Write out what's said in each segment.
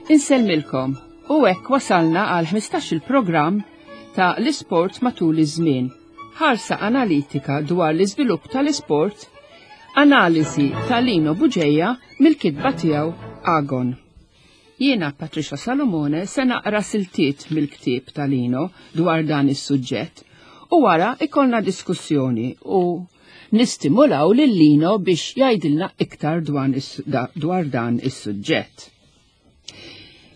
Insellmilkom u hekk wasalna għal 15 il-programm ta' l-isport matul iż-żmien. Ħarsa analitika dwar l-iżvilupp tal-isport, analiżi ta' Lino Buġeja mill-kitba tiegħu Agon. Jiena Patricia Salomone se naqra siltiet mill-ktieb ta' Lino dwar dan is-suġġett u wara ikollna diskussjoni u nistimulaw lil Lino biex jgħidilna iktar dwar dan is-suġġett.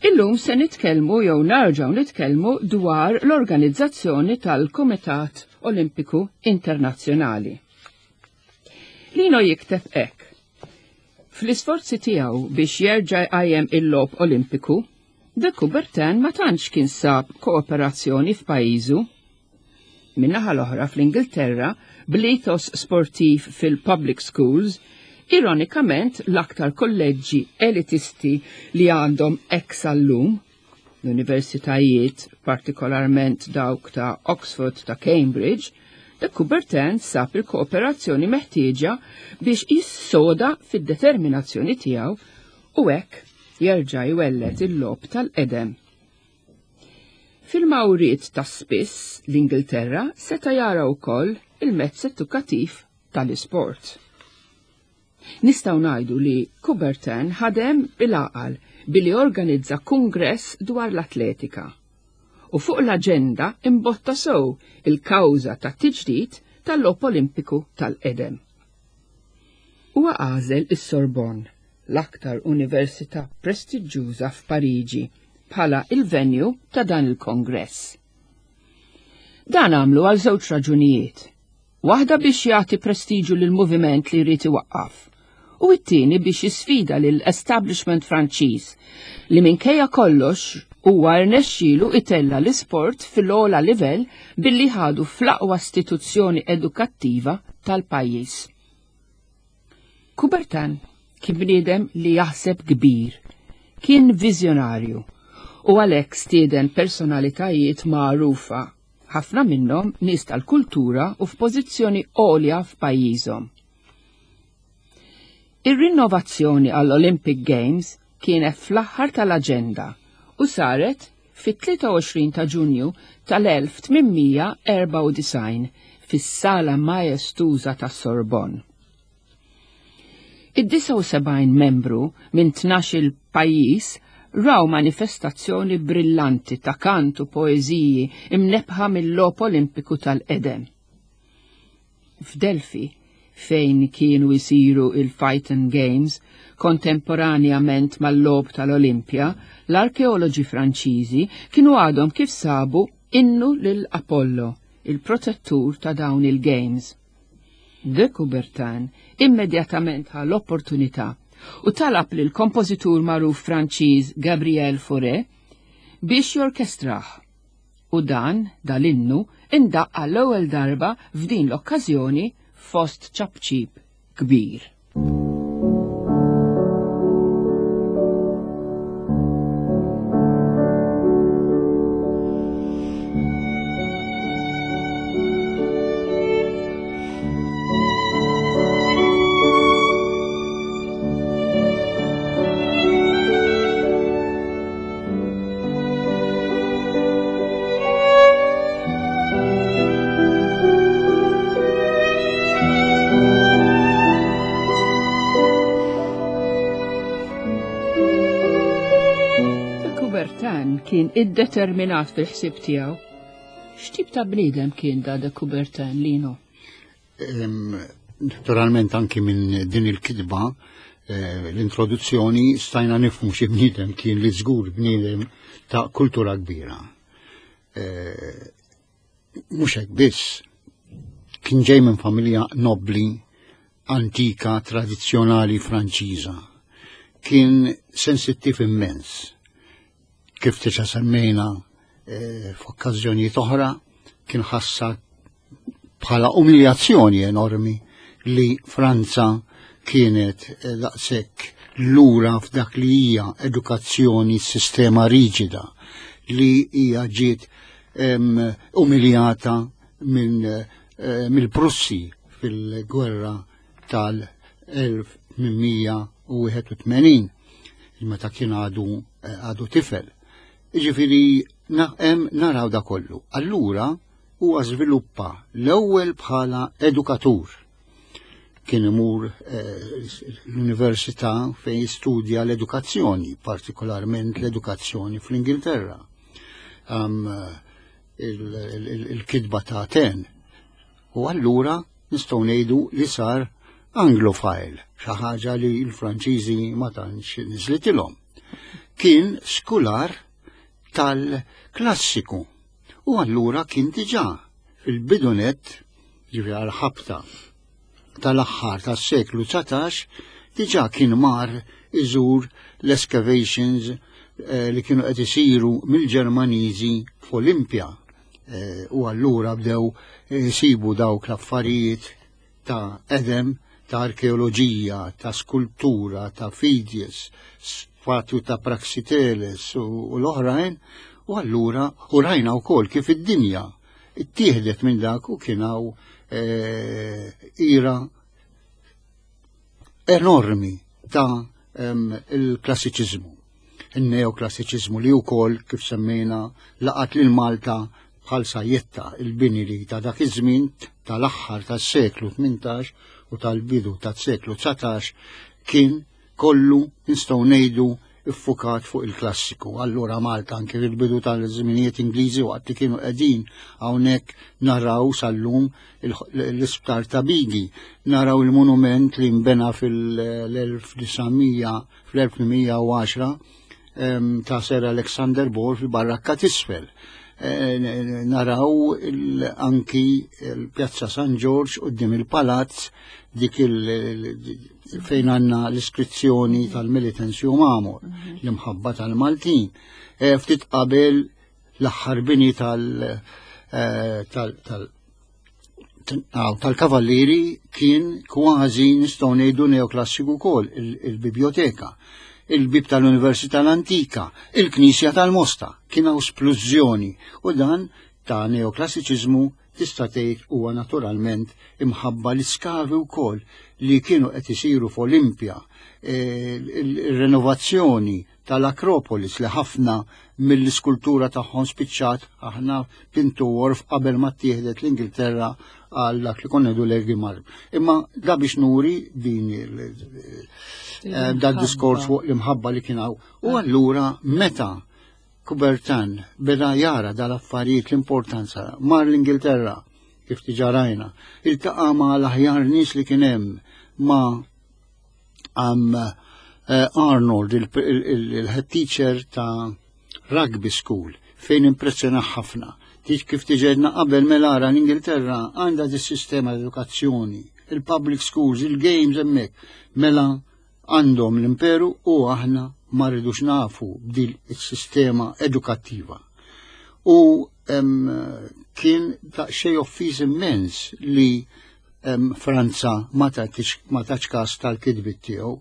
Illum se nitkellmu jew narġgħu nitkellmu dwar l-organizzazzjoni tal-Kumitat Olimpiku Internazzjonali. Lino jikteb hekk. Fl-isforzi tiegħu biex jerġa' jqajjem il-logħob Olimpiku, De Coubertin ma tantx kien sab kooperazzjoni f'pajjiżu. Min-naħa l-oħra fl-Ingilterra, bl-ethos sportiv fil-public schools, ironikament l-aktar kolleġġi elitisti li għandhom hekk sal-lum, l-universitajiet, partikolarment dawk ta' Oxford ta' Cambridge, de Coubertin sab il-kooperazzjoni meħtieġa biex jissoda fid-determinazzjoni tiegħu u hekk jerġa' jwelled il-logħob tal-qedem. Fil-mawriet ta' spiss l-Ingilterra seta' jara wkoll il-mezz edukattiv tal-isport. Nistgħu ngħidu li Coubertin ħadem bil-għaqal billi organizza kungress dwar l-atletika u fuq l-aġenda imbotta sew il-kawża tat-tiġdid tal-Logħob Olimpiku tal-qedem. Huwa għażel is-Sorbonne, l-aktar università prestiġġuża f'Pariġi, bħala il-venue ta' dan il-kongress. Dan għamlu għal żewġ raġunijiet. Waħda biex jagħti prestiġu lill-moviment li jrid iwaqqaf, u t-tieni biex jisfida lill-establishment Franċiż li minkejja kollox huwa rnexxielu itella l-isport fil-ogħla livell billi ħadu fl-aqwa istituzzjoni edukattiva tal-pajjiż. Coubertin kien bniedem li jaħseb kbir, kien viżjonarju u għalhekk stieden personalitajiet magħrufa, ħafna minnhom nies tal-kultura u f'pożizzjoni għolja f'pajjiżhom. Ir-rinnovazzjoni għall-Olympic Games kienet fl-aħħar tal-aġenda u saret fit-23 ta' Ġunju tal-1894 fis-Sala Majestuża tas-Sorbonne. Id-79 membru minn 12-il pajjiż raw manifestazzjoni brillanti ta' kant u poeżiji imnebbħa mil-Logħob Olimpiku tal-qedem. F'Delfi, fejn kienu jsiru il-Phaeton Games kontemporanjament mal-Logħob tal-Olimpja, l-arkeoloġi Franċiżi kienu għadhom kif sabu innu lil Apollo, il-protettur ta' dawn il-Games. De Coubertin immedjatament ħa l-opportunità u talab lil kompożitur magħruf Franċiż Gabriel Fauré biex jorkestrah. U dan, dal-innu, indaqq għall-ewwel darba f'din l-okkażjoni fost ċapċip kbir. Coubertin kien iddeterminat fil-ħsieb tiegħu. X'tip ta' bniedem kien da de Coubertin, Lino? Naturalment anki minn din il-kitba eh, l-introduzzjoni stajna nifhmu xi bniedem kien li żgur bniedem ta' kultura kbira. Eh, mhux hekk biss, kien ġej minn familja nobli antika tradizzjonali Franċiża. Kien sensittiv immens. Kif tiġa semmejna eh, f'okkażjonijiet oħra, kien ħassa bħala umiljazzjoni enormi li Franza kienet eh, daqshekk lura f'dak li hija edukazzjoni sistema riġida li hija ġiet umiljata minn eh, mill-Prussi fil-gwerra tal-1881. Meta kien għadu eh, għadu tifel. Jiġifieri hemm naraw da kollu. Allura huwa żviluppa l-ewwel bħala edukatur. Kien imur eh, l-università fejn jistudja l-edukazzjoni, partikolarment l-edukazzjoni fl-Ingilterra. Il-kitba ta' Aten. U allura nistgħu ngħidu li sar Anglophile, xi ħaġa li l-Franċiżi ma tantx niżlitilhom. Kien skular tal-klassiku u allura kien diġà fil-bidunet ġifieri għal-ħabta tal-aħħar tas-seklu 19 diġà kien mar iżur l-excavations eh, li kienu qed isiru mill-Ġermaniżi f'Olimpja. Eh, u allura bdew isibu dawk l-affarijiet ta' edem, ta' arkeoloġija, ta' skultura, ta' Fidies, statwi ta' Praxiteles u l-oħrajn, u allura u rajna wkoll kif id-dinja ittieħdet minn dak u kien hawn eh, ira enormi ta' il-klassiċiżmu, il-neoklassiċiżmu li wkoll kif semmejna laqat lil Malta bħal sajjetta il-bini li ta' dak iż-żmien tal-aħħar tas-seklu 18 u tal-bidu tas-seklu 19 kien kollu nistgħu ngħidu iffukat fuq il-klassiku. Allura Malta anke fil-bidu tal-żminijiet Ingliżi waqt li kienu qegħdin hawnhekk naraw sal-lum l-isptar ta' Bigi, naraw il-monument li nbena fil-1900 fl-1810 ta' Sir Alexander Ball fil-Barrakka t'isfel. Eh, naraw anki l-Pjazza San Ġorġ qudiem il-Palazz dik fejn għandna l-iskrizzjoni tal-Militants Mamor, mhm. l-imħabba tal-Maltin. Eh, ftit qabel l-aħħar bini tal- eh, tal-kavallieri kien kważi nistgħu ngħidu neoklassiku wkoll il-biblioteka, il-bib tal-Università l-Antika, il-Knisja tal-Mosta, kien hawn splużjoni u dan ta' neoklassiċiżmu tista' tgħid huwa naturalment imħabba l-iskavi wkoll li kienu qed isiru f'Olimpja, eh, il-renovazzjoni tal-Akropolis li ħafna mill-iskultura tagħhom spiċċat aħna Pintu Worf qabel ma ttieħdet l-Ingilterra għal dak li konna ngħidu l-Egimar. Imma da biex nuri din eh, da diskors fuq l-imħabba li kien hawn. U allura meta Coubertin beda jara dal-affarijiet l-importanza mar l-Ingilterra kif diġà rajna, iltaqa' ma' l-aħjar nies li kien hemm ma' um, eh, Arnold, il-head teacher ta' rugby school, fejn impressjona ħafna. Dik kif tiġedna qabel mela ara l-Ingilterra għandha dis sistema edukazzjoni, il-public schools, il-games hemmhekk. Mela għandhom l-imperu u aħna ma rridux nafu b'dil is-sistema edukattiva. U kien daqsxejn offiż immens li Franza ma tatx każ tal-kitbiet tiegħu.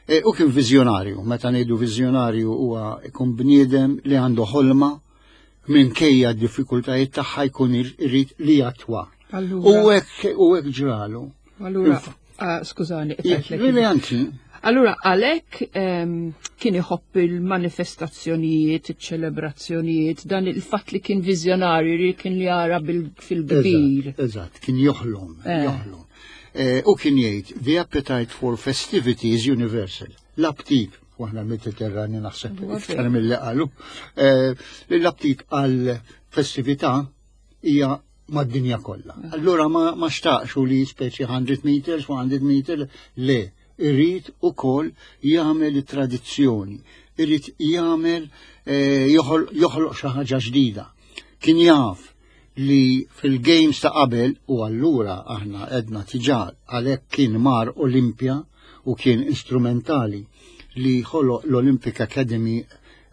E, u kien viżjonarju, meta ngħidu viżjonarju huwa jkun bniedem li għandu ħolma minkejja d-diffikultajiet tagħha jkun irid li jattwa. U hekk u hekk ġralu. Allura, ah, skużani, qtajtlek. Allura għalhekk ehm, kien iħobb il-manifestazzjonijiet, iċ-ċelebrazzjonijiet, dan il-fatt li kien viżjonarju li kien jara fil-kbir. Eżatt, kien joħlom, eh. joħlom. Eh, u kien jgħid, the appetite for festivity is universal. L-aptit, u aħna l-Mediterrani naħseb iktar mill-li qalu, eh, l-aptit għal festività hija mad-dinja kollha. Allura ma, ma xtaqx u li speċi 100 meters, 100 meters, le, irrid ukoll jagħmel it-tradizzjoni, irrid jagħmel eh, joħloq xi ħaġa ġdida. Kien jaf li fil-games ta' qabel u allura aħna edna tiġa għalhekk kien mar Olimpja u kien instrumentali li ħoloq l-Olympic Academy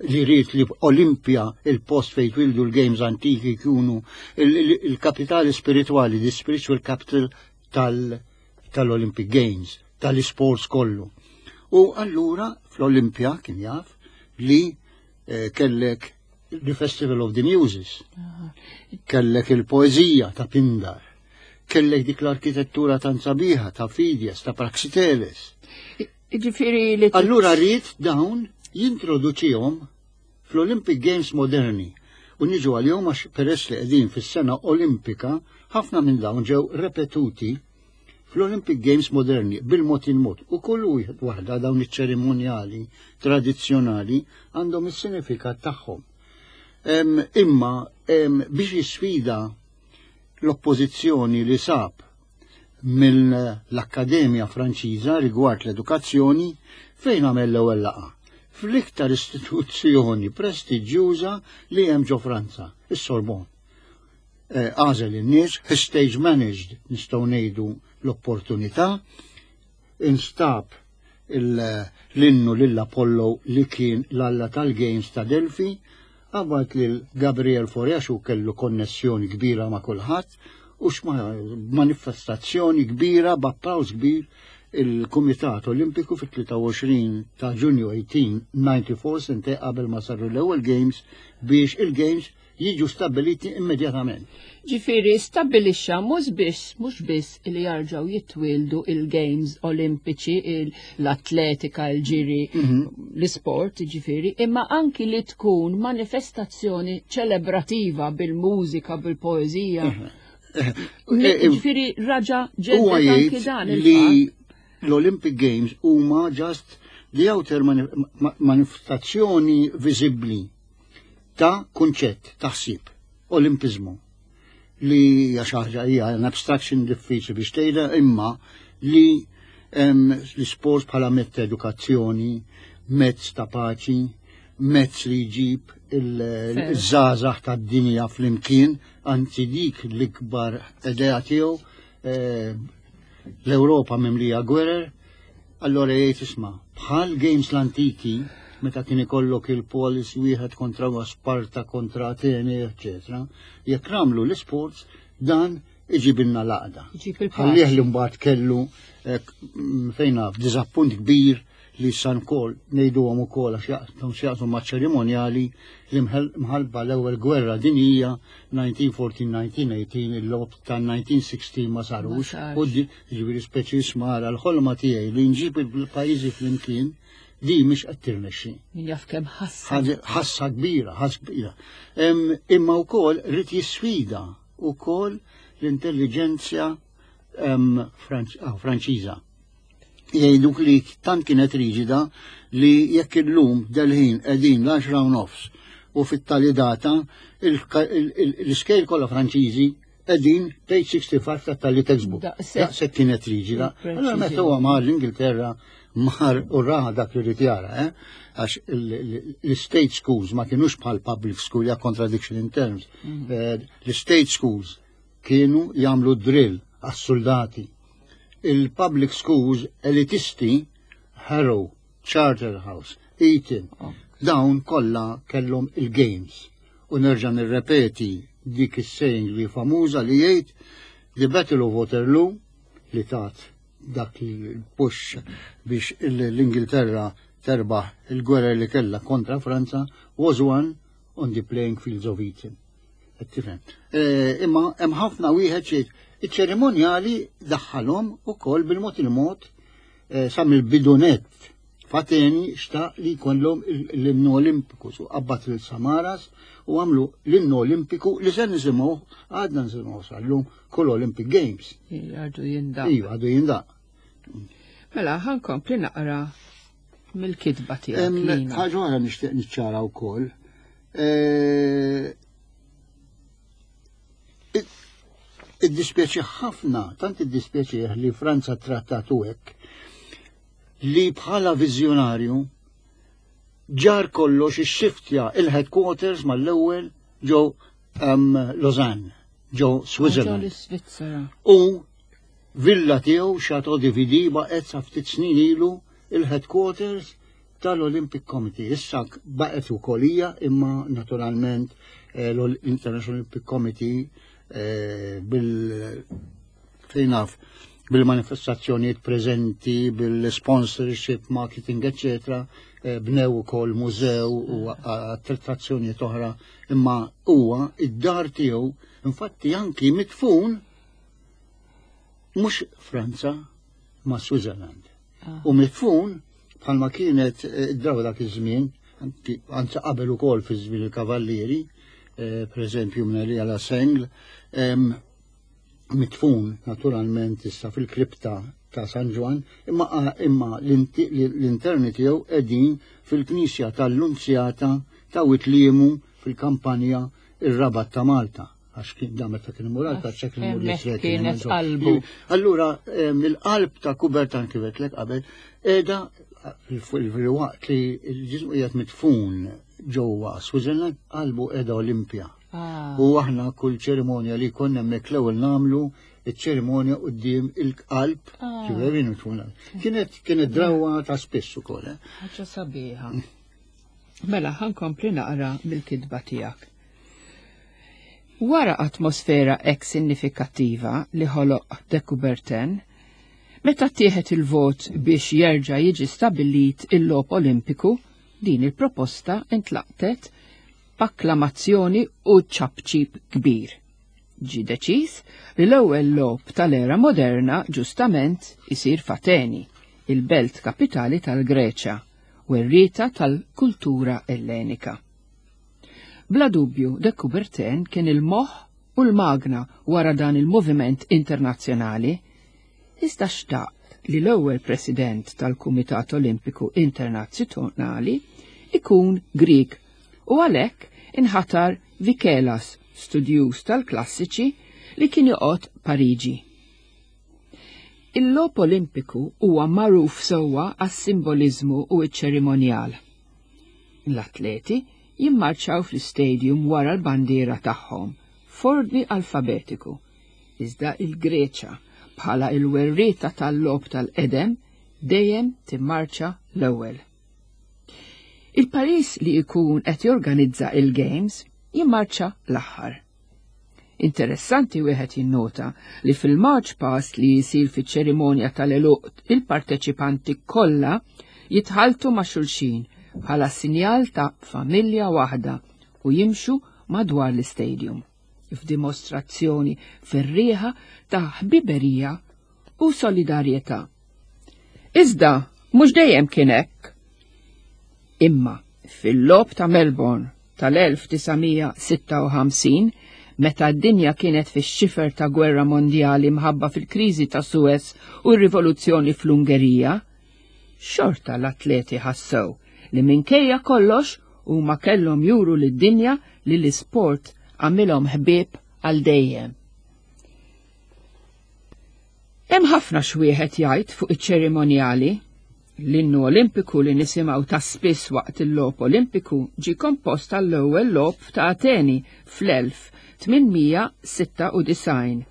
li rrit li Olimpja il-post fejn twildu l-games antiki jkunu il-kapitali spirituali, the spiritual capital tal-Olympic Games, tal-sports kollu. U allura fl-Olimpja kien jaf li eh, kellek the Festival of the Muses, kellek il-poezija ta' Pindar, kellek dik l-arkitettura tan sabiħa ta' Fidias, ta' Praxiteles. Ġifieri li Allura rrid dawn. jintroduċihom fl-Olympic Games moderni u niġu għalihom għax peress li qegħdin fis-sena Olimpika ħafna minn dawn ġew repetuti fl-Olympic Games moderni bil-mod il-mod u kull wieħed waħda dawn iċ-ċerimonjali tradizzjonali għandhom is-sinifikat tagħhom. Imma biex jisfida l-oppożizzjoni li sab mill-Akkademja Franċiża rigward l-edukazzjoni fejn għamel l-ewwel laqgħa fl-iktar istituzzjoni prestiġjuża li hemm ġo Franza, is-Sorbonne. Eh, għażel in-nies, stage managed nistgħu ngħidu l-opportunità, instab l-innu lil Apollo li kien l-alla tal-Games ta' Delphi, qabad lil Gabriel Fauré għax hu kellu konnessjoni kbira ma' kulħadd u manifestazzjoni kbira b'applaws kbir il-Kumitat Olimpiku fit-23 ta' Ġunju 1894 sentej qabel ma saru l-ewwel Games biex il-Games jiġu stabbiliti immedjatament. Ġifieri stabbilixxa mhux biss mhux biss li jarġgħu jitwieldu il-Games Olimpiċi, l-atletika, il-ġiri, mhm. l-isport, ġifieri, imma anki li tkun manifestazzjoni ċelebrativa bil-mużika, bil-poeżija. Mhm. Eh, eh, ġifieri raġa ġedda anki dan li l-Olympic Games huma just the outer manifestazzjoni viżibbli ta' kunċett, ta' ħsieb, Olimpiżmu, li hija xi ħaġa hija an abstraction diffiċli biex tgħidha imma li l-isport bħala mezz ta' edukazzjoni, mezz ta' paċi, mezz li jġib il-żgħażagħ tad-dinja flimkien, anzi dik l-ikbar idea tiegħu eh, l-Ewropa mimlija gwerer, Allora jgħid isma' bħal games l-antiki meta kien ikollok il-polis wieħed kontra Sparta kontra Atene, eċetera, jekk nagħmlu l-isports dan iġibilna l-għaqda. Ħallih li mbagħad kellu eh, fejn naf diżappunt kbir li san kol ngħiduhom ukoll għax jaqsmu x'jaqsmu ma' ċerimonjali li mħalba l-ewwel gwerra dinjija 1914-1918 il-logħob ta' 1916 ma sarux u Jiġifieri speċi smara l-ħolma tiegħi li nġib il-pajjiżi flimkien di mhix qed tirnexxi. Min jaf kemm ħassa. Ħassa kbira, ħassa kbira. Imma wkoll rid jisfida wkoll l-intelliġenzja ah, Franċiża. Jgħiduk li tant kienet riġida li jekk illum delħin qegħdin l-10 nofs u fit-tali data l-iskejl kollha Franċiżi Qegħdin page 65 ta' tali textbook. Daqshekk kienet riġida. Allora meta huwa mar l-Ingilterra mar u ra dak li rid jara, eh? Għax l-state schools ma kienux bħal public school ja contradiction in terms. Mm. Eh, l-state schools kienu jagħmlu drill għas-soldati. Il-public schools elitisti Harrow, Charterhouse, Eton, oh. dawn kollha kellhom il-games. U nerġa' nirrepeti dik is-saying li famuża li jgħid The Battle of Waterloo li tat dak il-push biex l-Ingilterra terbaħ il-gwerra li kellha kontra Franza was won on the playing fields of Eton. Tifhem. Eh, imma hemm ħafna wieħed xi iċ-ċerimonjali daħħalhom ukoll bil-mod il-mod eh, sa mill-bidunet F'Ateni xtaq li jkollhom l-innu Olimpiku, su qabad lil Samaras u għamlu l-innu Olimpiku li se nisimgħu għadna nisimgħu sal-lum kull Olympic Games. Għadu jindaq. Iva, għadu jindaq. Mela, ħankompli naqra mill-kitba tiegħek. Ħaġa oħra nixtieq niċċara wkoll. Eh, iddispjaċi ħafna, tant iddispjaċi li Franza trattatu hekk li bħala viżjonarju ġar kollox ixxiftja il-headquarters mal-ewwel ġo um, Lausanne, ġo Switzerland. U villa tiegħu Chateau de Vidi baqgħet sa ftit snin ilu il-headquarters tal-Olympic Committee. Issa baqgħet ukoll hija imma naturalment eh, l-International Olympic Committee eh, bil fejn naf bil-manifestazzjonijiet preżenti, bil-sponsorship, marketing, eccetera, eh, bnew ukoll mużew u attrazzjonijiet oħra, imma huwa id-dar tiegħu infatti anki mitfun mhux Franza ma' Switzerland. Ah. U mitfun. Bħalma kienet eh, draw dak iż-żmien, anzi qabel ukoll fi żmien il-Kavallieri, eh, pereżempju minn Elija La Sengl, mitfun naturalment issa fil-kripta ta' San Ġwann, imma imma l-interni tiegħu qegħdin fil-Knisja tal-Lunzjata ta' Witliemu fil-kampanja ir-Rabat ta' Malta għax kien da meta kien imur għal kaċċa kien imur jisrek. Kienet qalbu. Allura il-qalb ta' Kubertan kif lek qabel qiegħda fil-waqt li l-ġismu qiegħed mitfun ġewwa Switzerland qalbu qiegħda Olimpja. Ah. U aħna kull ċerimonja li konna hemmhekk l-ewwel nagħmlu iċ-ċerimonja quddiem il-qalb, ah. ġifieri Kienet kienet drawa ta' spiss ukoll. Eh. Ħaġa sabiħa. Mela ħankompli naqra mill-kitba tiegħek. Wara atmosfera hekk sinifikattiva li ħoloq de Coubertin, meta ttieħed il-vot biex jerġa' jiġi stabbilit il-logħob Olimpiku, din il-proposta intlaqtet b'akklamazzjoni u ċapċip kbir. Ġie deċiż li l-ewwel logħob tal-era moderna ġustament isir f'Ateni, il-belt kapitali tal-Greċja, werrieta tal-kultura Ellenika. Bla dubju, de Coubertin kien il-moħħ u l-magna wara dan il-moviment internazzjonali, iżda xtaq li l-ewwel president tal-Kumitat Olimpiku Internazzjonali ikun Grieg u għalhekk inħatar Vikelas, studjuż tal-klassiċi li kien joqgħod Pariġi. Il-Logħob Olimpiku huwa magħruf sewwa għas-simboliżmu u ċ-ċerimonjal. L-atleti jimmarċaw fl-istadium wara l-bandiera tagħhom f'ordni alfabetiku, iżda il-Greċa bħala il-werrieta tal-logħob tal-qedem dejjem timmarċa l-ewwel. Il-pajjiż li jkun qed jorganizza il-Games jimmarċa l-aħħar. Interessanti wieħed jinnota li fil-march past li jisir fiċ-ċerimonja tal-eluq il-parteċipanti kollha jitħaltu ma' xulxin bħala sinjal ta' familja waħda u jimxu madwar l-istadium f'dimostrazzjoni ferrieħa ta' ħbiberija u solidarjetà. Iżda mhux dejjem kien hekk. Imma fil-logħob ta' Melbourne tal-1956, meta d-dinja kienet fix-xifer ta' gwerra mondjali mħabba fil-kriżi ta' Suez u r-rivoluzzjoni fl-Ungerija, xorta l-atleti ħassew li minkejja kollox huma kellhom juru lid-dinja li l-isport għamilhom ħbieb għal dejjem. Hemm ħafna x'wieħed jgħid fuq iċ-ċerimonjali. L-innu Olimpiku li nisimgħu ta' spiss waqt il-Logħob Olimpiku ġie kompost għall-ewwel Logħob ta' Ateni fl-1896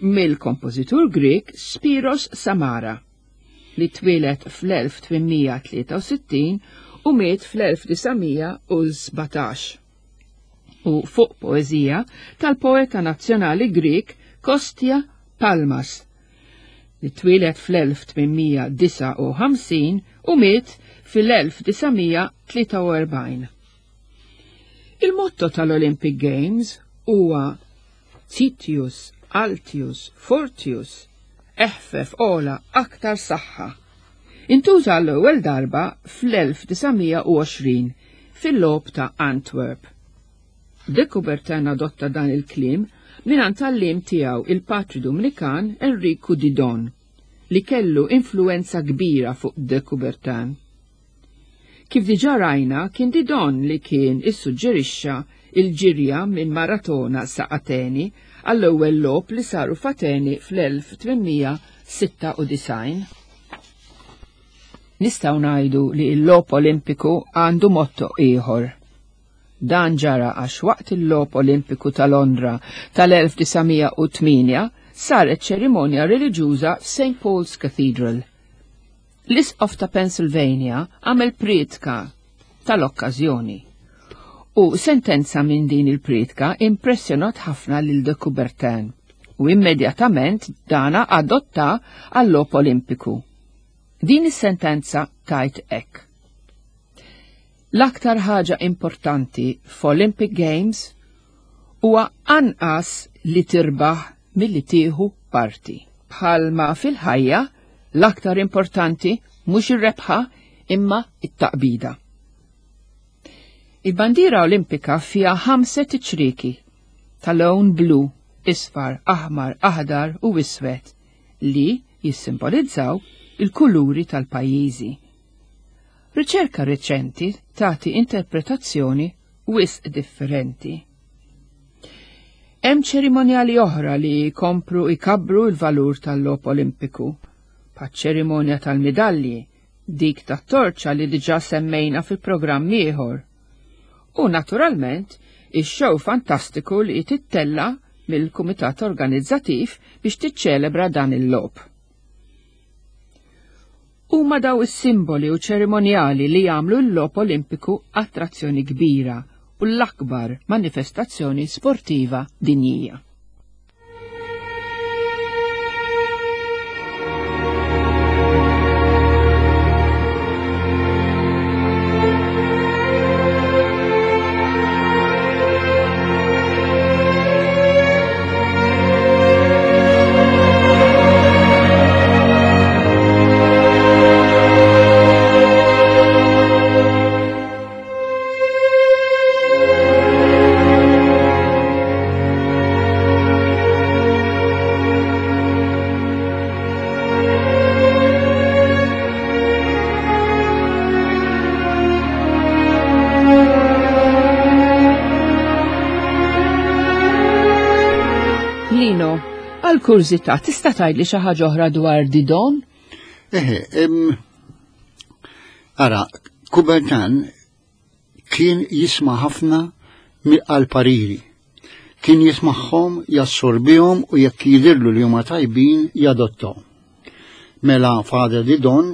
mill-kompożitur Grieg Spiros Samara, li twieled fl-1863 u miet fl-1917. U fuq poeżija tal-poeta nazzjonali Grieg Kostia Palmas, li twieled fl-1859 u miet fil-1943. Il-motto tal-Olympic Games huwa Citius, Altius, Fortius, eħfef ola aktar saħħa. Intuża l-ewwel darba fl-1920 fil-logħob ta' Antwerp. De Coubertin adotta dan il-kliem mingħand għalliem tiegħu il-Patri Dumnikan Enriku Didon, li kellu influwenza kbira fuq de Coubertin. Kif diġà rajna, kien Didon li kien issuġġerixxa il-ġirja minn Maratona sa Ateni għall-ewwel logħob li saru f'Ateni fl-1896. Nistgħu ngħidu li l-logħob Olimpiku għandu motto ieħor. Dan ġara għax waqt il-Logħob Olimpiku ta' Londra tal-1908 saret ċerimonja reliġjuża f'St. Paul's Cathedral. L-Isqof ta' Pennsylvania għamel prietka tal-okkażjoni u sentenza minn din il-prietka impressjonat ħafna lil de Coubertin u immedjatament dana adotta għall-Logħob Olimpiku. Din is-sentenza tajt hekk. L-aktar ħaġa importanti f'Olympic Games huwa anqas li tirbaħ milli tieħu parti. Bħalma fil-ħajja, l-aktar importanti mhux ir-rebħa imma it-taqbida. Il-bandiera Olimpika fiha ħamset iċrieki ta' lewn blu, isfar, aħmar, aħdar u iswed li jissimbolizzaw il-kuluri tal-pajjiżi. Riċerka reċenti tagħti interpretazzjoni wisq differenti. Hemm ċerimonjali oħra li jkomplu jkabbru l-valur tal-logħob Olimpiku, bħaċ-ċerimonja tal-midalji, dik tat-torċa li diġà semmejna fi programm ieħor. U naturalment, ix-show fantastiku li tittella mill-kumitat organizzattiv biex tiċċelebra dan il-logħob. Huma daw is-simboli u ċerimonjali li jagħmlu l-logħob Olimpiku attrazzjoni kbira u l-akbar manifestazzjoni sportiva dinjija. Lino, għal kurżità tista' tgħidli xi ħaġa oħra dwar Didon? Eħe, ara, Coubertin kien jisma' ħafna għal pariri. Kien jismagħhom, jassorbihom u jekk jidhirlu li huma tajbin jadottom. Mela Father Didon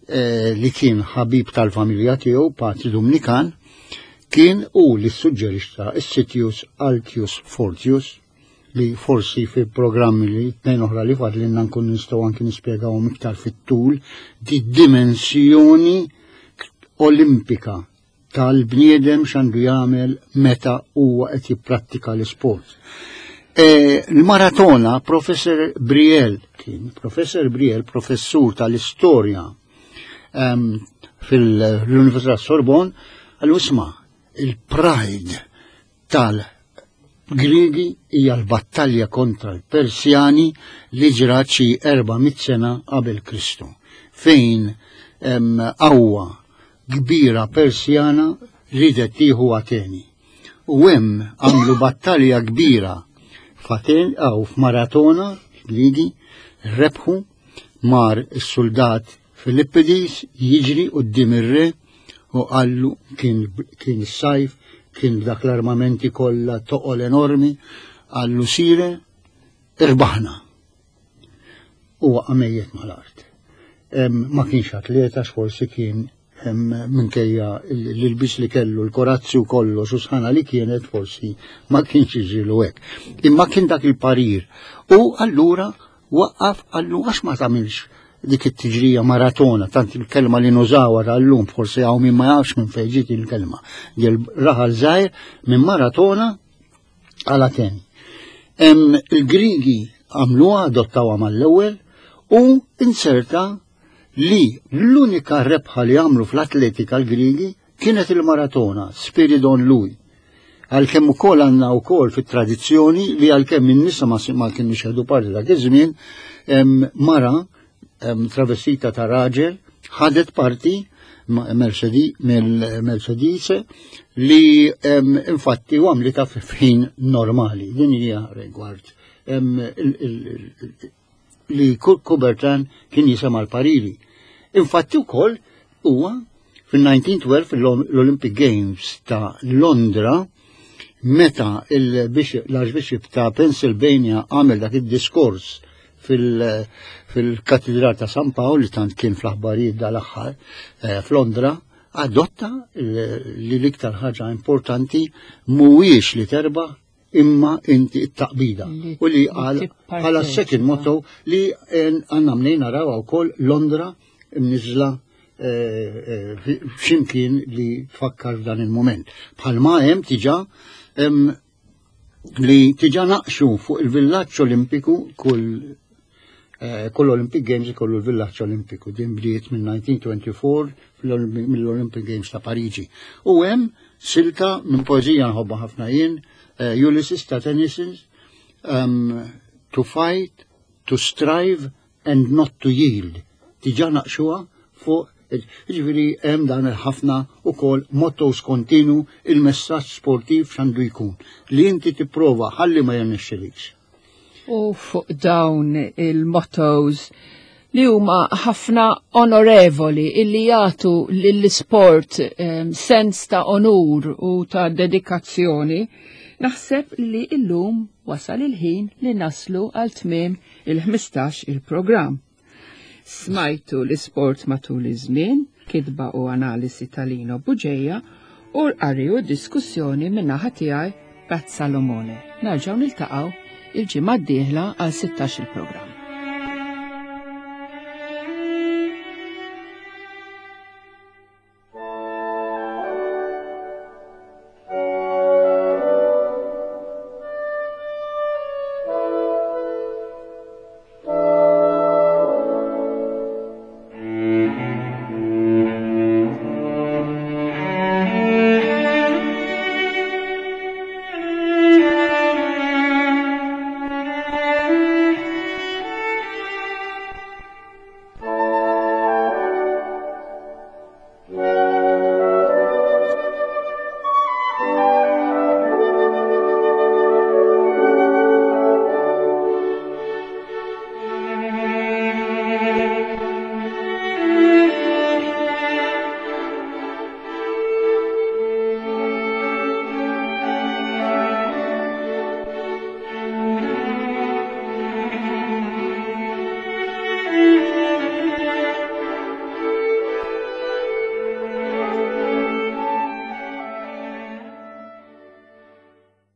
eh, li kien ħabib tal-familja tiegħu, Patri Dumnikan, kien u li suġġerixxa s-Sitius Altius Fortius li forsi fi programmi li tnejn oħra li fadlinna nkun nistgħu anki nispjegawhom iktar fit-tul di dimensjoni olimpika tal-bniedem x'għandu jagħmel meta huwa qed jipprattika l-isport. E, l-maratona Professor Briel kien Professor Briel professur tal-istorja um, fil-Università Sorbonne għallu isma' il-pride tal-Griegi hija l-battalja kontra l-Persjani li ġrat xi 400 sena qabel Kristu, fejn qawwa kbira Persjana ridet tieħu Ateni. U hemm għamlu battalja kbira f'Aten aw f'Maratona, Griegi, rebħu mar is-suldat Filippidis jiġri quddiem ir-re u qallu kien kien is-sajf, kien b'dak l-armamenti kollha toqol enormi, qallu sire irbaħna. U waqa' mejjet mal-art. Ma kienx atleta forsi kien minkejja l-ilbis li kellu, l-korazzi u kollox u sħana li kienet forsi ma kienx iġilu hekk. Imma kien dak il-parir. U allura Waqqaf qallu għax ma tagħmilx dik it-tiġrija maratona, tant il-kelma li nużawha tal-lum forsi hawn min ma jafx minn fejn ġiet il-kelma. Dil raħal żgħir minn maratona għal Ateni. Il-Grigi għamluha, adottawha mal-ewwel u inserta li l-unika rebħa li għamlu fl-atletika l-Grigi Kienet il-maratona Spiridon Louis. Għalkemm ukoll għandna wkoll fit-tradizzjoni li għalkemm in-nisa ma ma kienux jieħdu parti dak iż-żmien, mara travestita ta' raġel ħadet parti mill-Mercedes li infatti u għamlita f'ħin normali. Din hija rigward li Coubertin kien jisema l-pariri. Infatti wkoll huwa fil-1912 l-Olympic Games ta' Londra meta l-Archbishop ta' Pennsylvania għamel dak id-diskors fil-Katedral ta' San Pawl li tant kien fl-aħbarijiet dal-aħħar eh, f'Londra, adotta li l-iktar ħaġa importanti mhuwiex li terba' imma inti it-taqbida. U li għal bħala second motto li għanna mnejn naraw wkoll Londra mniżla eh, eh, ximkien li tfakkar f'dan il-moment. Bħalma hemm tiġa li tiġa naqxu fuq il-villaġġ Olimpiku kull Eh, kull Olympic Games ikollu l-villaġġ Olimpiku, din bdiet minn 1924 mill-Olympic Games ta' Pariġi. U hemm silta minn poeżija nħobbha ħafna jien, eh, Ulysses ta' Tennyson, um, to fight, to strive and not to yield. Diġà naqxuha fuq Ġifieri hemm dan il-ħafna ukoll mottos kontinu il-messaġġ sportiv x'għandu jkun li inti tipprova ħalli ma jirnexxilikx. U fuq dawn il-mottos li huma ħafna onorevoli illi jagħtu lill-isport um, sens ta' onur u ta' dedikazzjoni, naħseb li illum wasal il-ħin li naslu għal tmiem il-15 il-programm. Smajtu l-isport matul iż-żmien, kitba u analisi ta' Lino Bugeja u l-qari u diskussjoni min-naħa tiegħi Pat Salomone. Narġgħu niltaqgħu il-ġimgħa d-dieħla għal 16 il-programm.